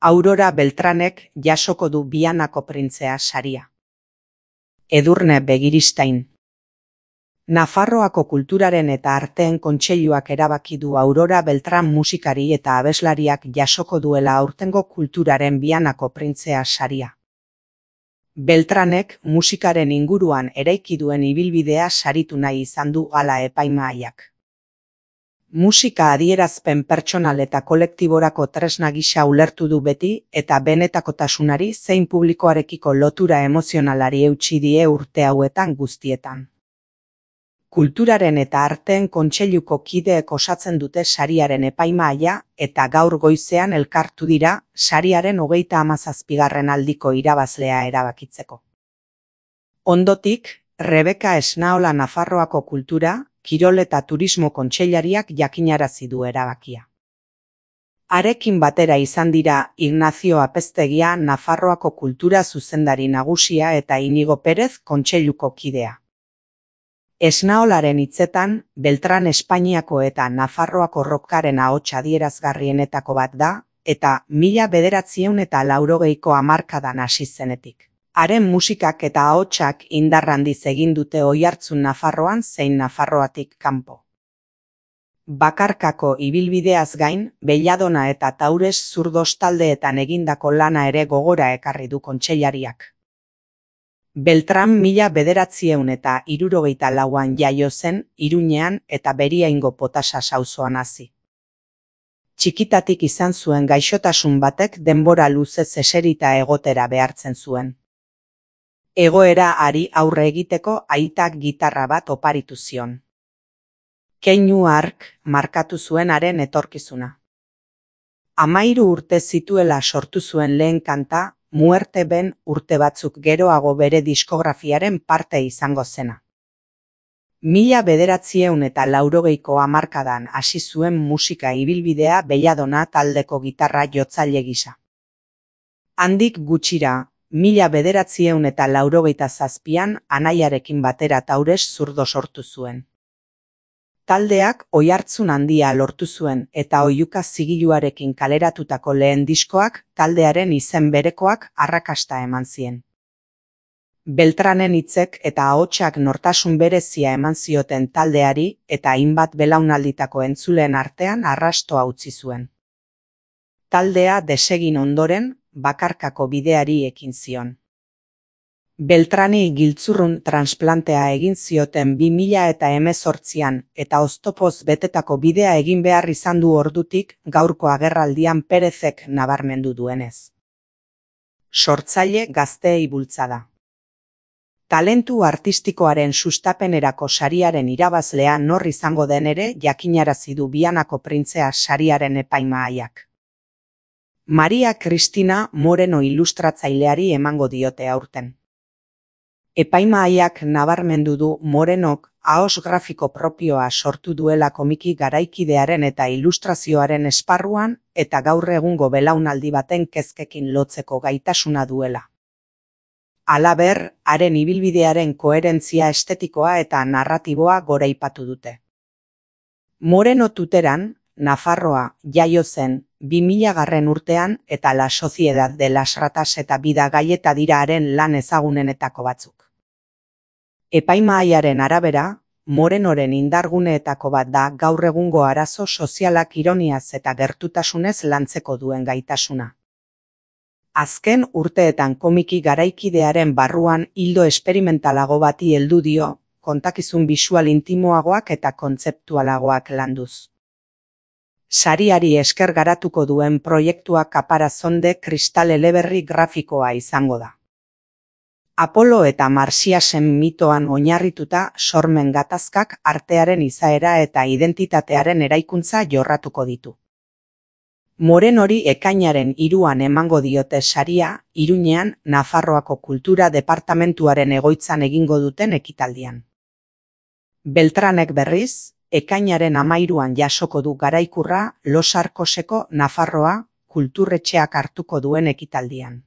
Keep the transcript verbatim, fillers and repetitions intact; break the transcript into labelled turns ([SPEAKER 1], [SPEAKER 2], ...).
[SPEAKER 1] Aurora Beltranek jasoko du Vianako printzea saria. Edurne Begiristain. Nafarroako Kulturaren eta Arteen Kontseiluak erabaki du Aurora Beltran musikari eta abeslariak jasoko duela aurtengo Kulturaren Vianako printzea saria. Beltranek musikaren inguruan eraiki duen ibilbidea saritu nahi izan du hala epaimahaiak. Musika adierazpen pertsonal eta kolektiborako tresna gisa ulertu du beti eta benetakotasunari zein publikoarekiko lotura emozionalari eutsi die urte hauetan guztietan. Kulturaren eta Arteen Kontseiluko kideek osatzen dute sariaren epaimahaia eta gaur goizean elkartu dira sariaren hogeita hamazazpigarren aldiko irabazlea erabakitzeko. Ondotik, Rebeka Esnaola Nafarroako Kultura, Kirol eta Turismo Kontseilariak jakinarazi du erabakia. Harekin batera izan dira Ignacio Apeztegia Nafarroako Kultura zuzendari nagusia eta Inigo Perez Kontseiluko kidea. Esnaolaren hitzetan, Beltran Espainiako eta Nafarroako rockaren ahots adierazgarrienetako bat da, eta mila bederatziehun eta laurogeiko hamarkadan hasi zenetik. Haren musikak eta ahotsak indar handiz egin dute oihartzun Nafarroan zein Nafarroatik kanpo. Bakarkako ibilbideaz gain, Belladona eta Taures zurdos taldeetan egindako lana ere gogora ekarri du kontseilariak. Beltran mila bederatziehun eta hirurogeita lauan jaio zen, Iruñean eta Beriaingo Potasas auzoan hazi. Txikitatik izan zuen gaixotasun batek denbora luzez eserita egotera behartzen zuen. Egoera hari aurre egiteko aitak gitarra bat oparitu zion. Keinu hark markatu zuen haren etorkizuna. Hamairu urte zituela sortu zuen lehen kanta, Muerte Ben urte batzuk geroago bere diskografiaren parte izango zena. Mila bederatziehun eta laurogeiko hamarkadan hasi zuen musika ibilbidea Belladona taldeko gitarra jotzaile gisa. Handik gutxira, mila bederatziehun eta laurogeita zazpian anaiarekin batera Taures zurdo sortu zuen. Taldeak oihartzun handia lortu zuen eta oihuka zigiluarekin kaleratutako lehen diskoak taldearen izen berekoak arrakasta eman zien. Beltranen hitzek eta ahotsak nortasun berezia eman zioten taldeari eta hainbat belaunalditako entzuleen artean arrastoa utzi zuen. Taldea desegin ondoren, bakarkako bideari ekin zion. Beltrani giltzurrun transplantea egin zioten bi mila eta hemezortzian eta oztopoz betetako bidea egin behar izan du ordutik gaurko agerraldian Perezek nabarmendu duenez. Sortzaile gazteei bultzada. Talentu artistikoaren sustapenerako sariaren irabazlea nor izango den ere jakinarazi du Vianako printzea sariaren epaimahaiak. Maria Cristina Moreno ilustratzaileari emango diote aurten. Epaimahaiak nabarmendu du Morenok ahos grafiko propioa sortu duela komiki garaikidearen eta ilustrazioaren esparruan eta gaur egungo belaunaldi baten kezkekin lotzeko gaitasuna duela. Halaber, haren ibilbidearen koherentzia estetikoa eta narratiboa goraipatu dute. Moreno Tuteran, Nafarroa, jaio zen, bi milagarren urtean eta La Sociedad de las Ratas eta Bida Gaieta dira haren lan ezagunenetako batzuk. Epaimahaiaren arabera, Morenoren indarguneetako bat da gaur egungo arazo sozialak ironiaz eta gertutasunez lantzeko duen gaitasuna. Azken urteetan komiki garaikidearen barruan ildo esperimentalago bati heldu dio, kontakizun bisual intimoagoak eta kontzeptualagoak landuz. Sariari esker garatuko duen proiektua Caparazón kristal eleberri grafikoa izango da. Apolo eta Marsiasen mitoan oinarrituta sormen gatazkak artearen izaera eta identitatearen eraikuntza jorratuko ditu. Morenori ekainaren hiruan emango diote saria, Iruñean Nafarroako Kultura Departamentuaren egoitzan egingo duten ekitaldian. Beltranek berriz, ekainaren hamairuan jasoko du garaikurra Los Arcoseko Nafarroa kulturretxeak hartuko duen ekitaldian.